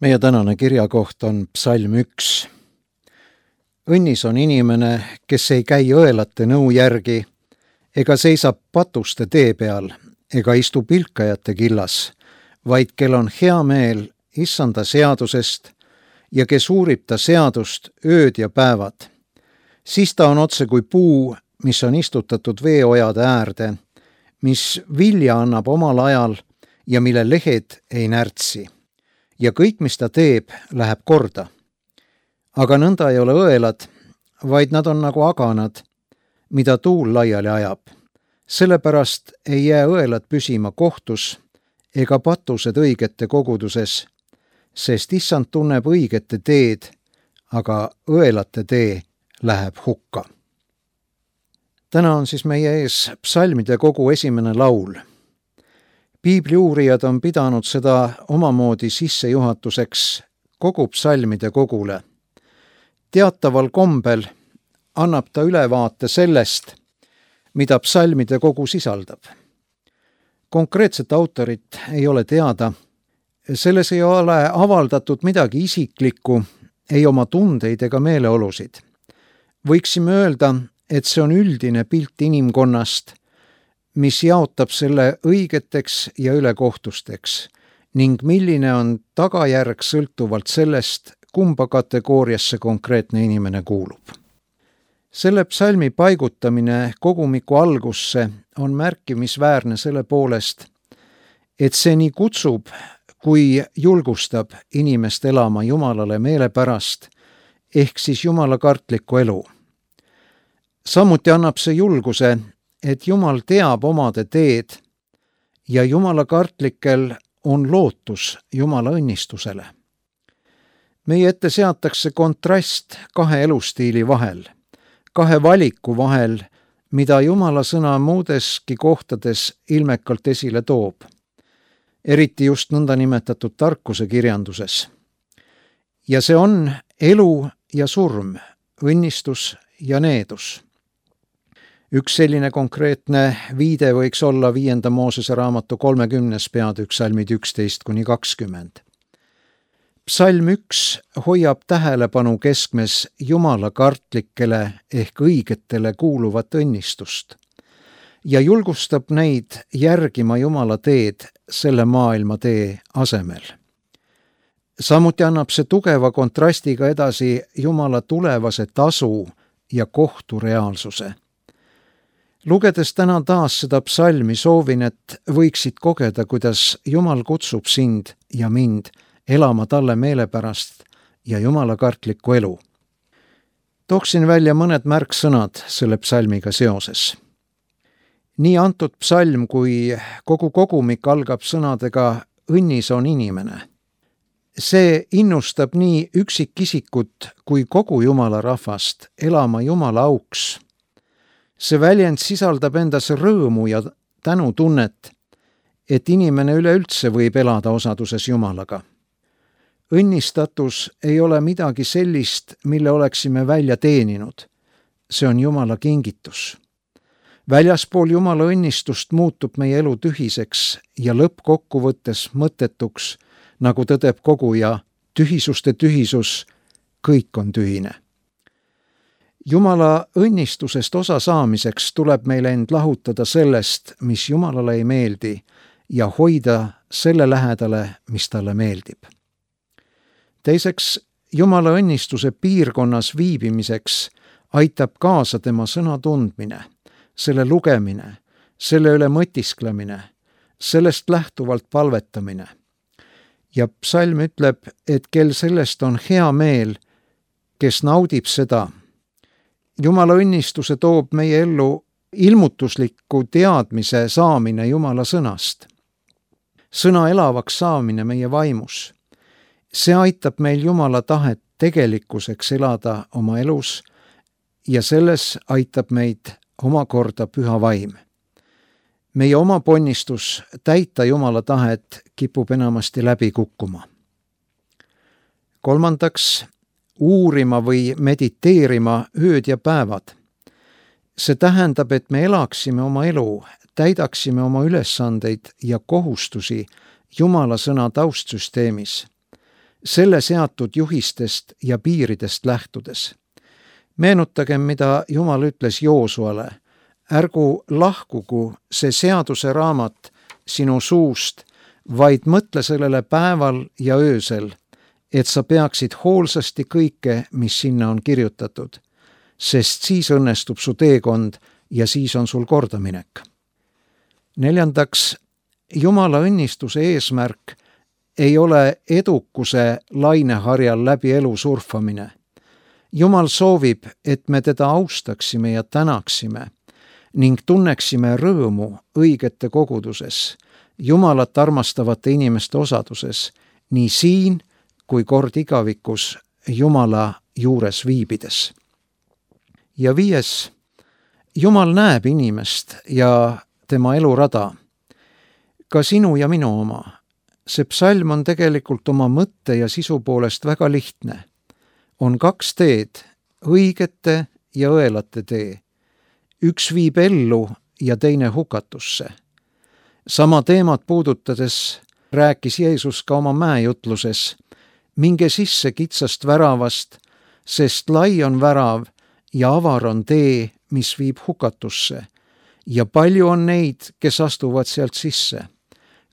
Meie tänane kirjakoht on psalm 1. Õnnis on inimene, kes ei käi õelate nõu järgi, ega seisa patuste tee peal, ega istu pilkajate killas, vaid kel on hea meel issanda seadusest ja kes uurib ta seadust ööd ja päevad. Siis ta on otse kui puu, mis on istutatud veeojade äärde, mis vilja annab omal ajal ja mille lehed ei närtsi. Ja kõik, mis ta teeb, läheb korda. Aga nõnda ei ole õelad, vaid nad on nagu aganad, mida tuul laiali ajab. Sellepärast ei jää õelad püsima kohtus ega patused õigete koguduses, sest issand tunneb õigete teed, aga õelate tee läheb hukka. Täna on siis meie ees psalmide kogu esimene laul. Piibli uurijad on pidanud seda omamoodi sissejuhatuseks kogu psalmide kogule. Teataval kombel annab ta ülevaate sellest, mida psalmide kogu sisaldab. Konkreetset autorit ei ole teada. Selles ei ole avaldatud midagi isiklikku, ei oma tundeid ega meeleolusid. Võiksime öelda, et see on üldine pilt inimkonnast, mis jaotab selle õigeteks ja ülekohtusteks ning milline on tagajärg sõltuvalt sellest, kumba kategooriasse konkreetne inimene kuulub. Selle psalmi paigutamine kogumiku algusse on märkimisväärne selle poolest, et see nii kutsub kui julgustab inimest elama Jumalale meelepärast ehk siis Jumala kartlikku elu. Samuti annab see julguse, et Jumal teab omade teed ja Jumala kartlikel on lootus Jumala õnnistusele. Meie ette seatakse kontrast kahe elustiili vahel, kahe valiku vahel, mida Jumala sõna muudeski kohtades ilmekalt esile toob, eriti just nõndanimetatud tarkuse kirjanduses. Ja see on elu ja surm, õnnistus ja needus. Üks selline konkreetne viide võiks olla 5. Moosese raamatu 30. peatükk salmid 11-20. Psalm 1 hoiab tähelepanu keskmes Jumala kartlikele ehk õigetele kuuluvat õnnistust ja julgustab neid järgima Jumala teed selle maailma tee asemel. Samuti annab see tugeva kontrastiga edasi Jumala tulevase tasu ja kohtu reaalsuse. Lugedes täna taas seda psalmi soovin, et võiksid kogeda, kuidas Jumal kutsub sind ja mind elama talle meelepärast ja Jumala kartlikku elu. Tooksin välja mõned märksõnad selle psalmiga seoses. Nii antud psalm kui kogu kogumik algab sõnadega õnnis on inimene. See innustab nii üksikisikut kui kogu Jumala rahvast elama Jumala auks. See väljend sisaldab endas rõõmu ja tänutunnet, et inimene üleüldse võib elada osaduses Jumalaga. Õnnistatus ei ole midagi sellist, mille oleksime välja teeninud. See on Jumala kingitus. Väljaspool Jumala õnnistust muutub meie elu tühiseks ja lõppkokkuvõttes mõttetuks, nagu tõdeb koguja, tühisuste tühisus, kõik on tühine. Jumala õnnistusest osa saamiseks tuleb meil end lahutada sellest, mis Jumalale ei meeldi ja hoida selle lähedale, mis talle meeldib. Teiseks, Jumala õnnistuse piirkonnas viibimiseks aitab kaasa tema sõna tundmine, selle lugemine, selle üle mõtisklemine, sellest lähtuvalt palvetamine. Ja psalm ütleb, et kel sellest on hea meel, kes naudib seda. Jumala õnnistuse toob meie ellu ilmutusliku teadmise saamine Jumala sõnast. Sõna elavaks saamine meie vaimus. See aitab meil Jumala tahet tegelikkuseks elada oma elus ja selles aitab meid omakorda püha vaim. Meie oma ponnistus täita Jumala tahet kipub enamasti läbi kukkuma. Kolmandaks, uurima või mediteerima ööd ja päevad. See tähendab, et me elaksime oma elu, täidaksime oma ülesandeid ja kohustusi Jumala sõna taustsüsteemis selle seatud juhistest ja piiridest lähtudes. Meenutagem, mida Jumal ütles Joosuale: ärgu lahkugu see seaduse raamat sinu suust, vaid mõtle sellele päeval ja öösel, et sa peaksid hoolsasti kõike, mis sinna on kirjutatud, sest siis õnnestub su teekond ja siis on sul kordaminek. 4. Jumala õnnistuse eesmärk ei ole edukuse laineharjal läbi elu surfamine. Jumal soovib, et me teda austaksime ja tänaksime ning tunneksime rõõmu õigete koguduses, Jumalat armastavate inimeste osaduses, nii siin kui kord igavikus Jumala juures viibides. Ja 5. Jumal näeb inimest ja tema elurada, ka sinu ja minu oma. See psalm on tegelikult oma mõtte ja sisu poolest väga lihtne. On 2 teed, õigete ja õelate tee. Üks viib ellu ja teine hukatusse. Sama teemat puudutades rääkis Jeesus ka oma mäejutluses: minge sisse kitsast väravast, sest lai on värav ja avar on tee, mis viib hukatusse, ja palju on neid, kes astuvad sealt sisse.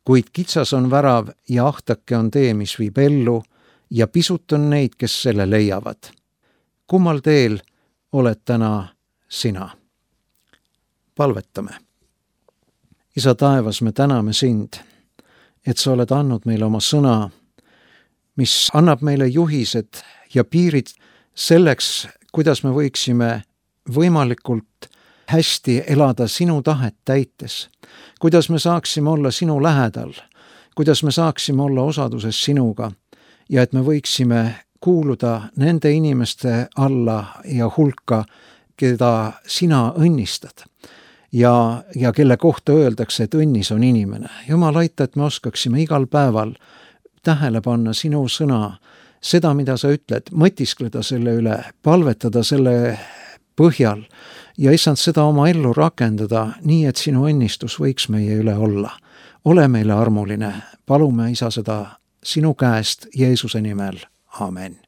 Kuid kitsas on värav ja ahtake on tee, mis viib ellu, ja pisut on neid, kes selle leiavad. Kummal teel oled täna sina? Palvetame. Isa taevas, me täname sind, et sa oled andnud meile oma sõna, mis annab meile juhised ja piirid selleks, kuidas me võiksime võimalikult hästi elada sinu tahet täites, kuidas me saaksime olla sinu lähedal, kuidas me saaksime olla osaduses sinuga ja et me võiksime kuuluda nende inimeste alla ja hulka, keda sina õnnistad ja kelle kohta öeldakse, et õnnis on inimene. Jumal, aita, et me oskaksime igal päeval tähele panna sinu sõna, seda, mida sa ütled, mõtiskleda selle üle, palvetada selle põhjal ja issand seda oma ellu rakendada nii, et sinu õnnistus võiks meie üle olla. Ole meile armuline, palume, Isa, seda sinu käest Jeesuse nimel. Amen.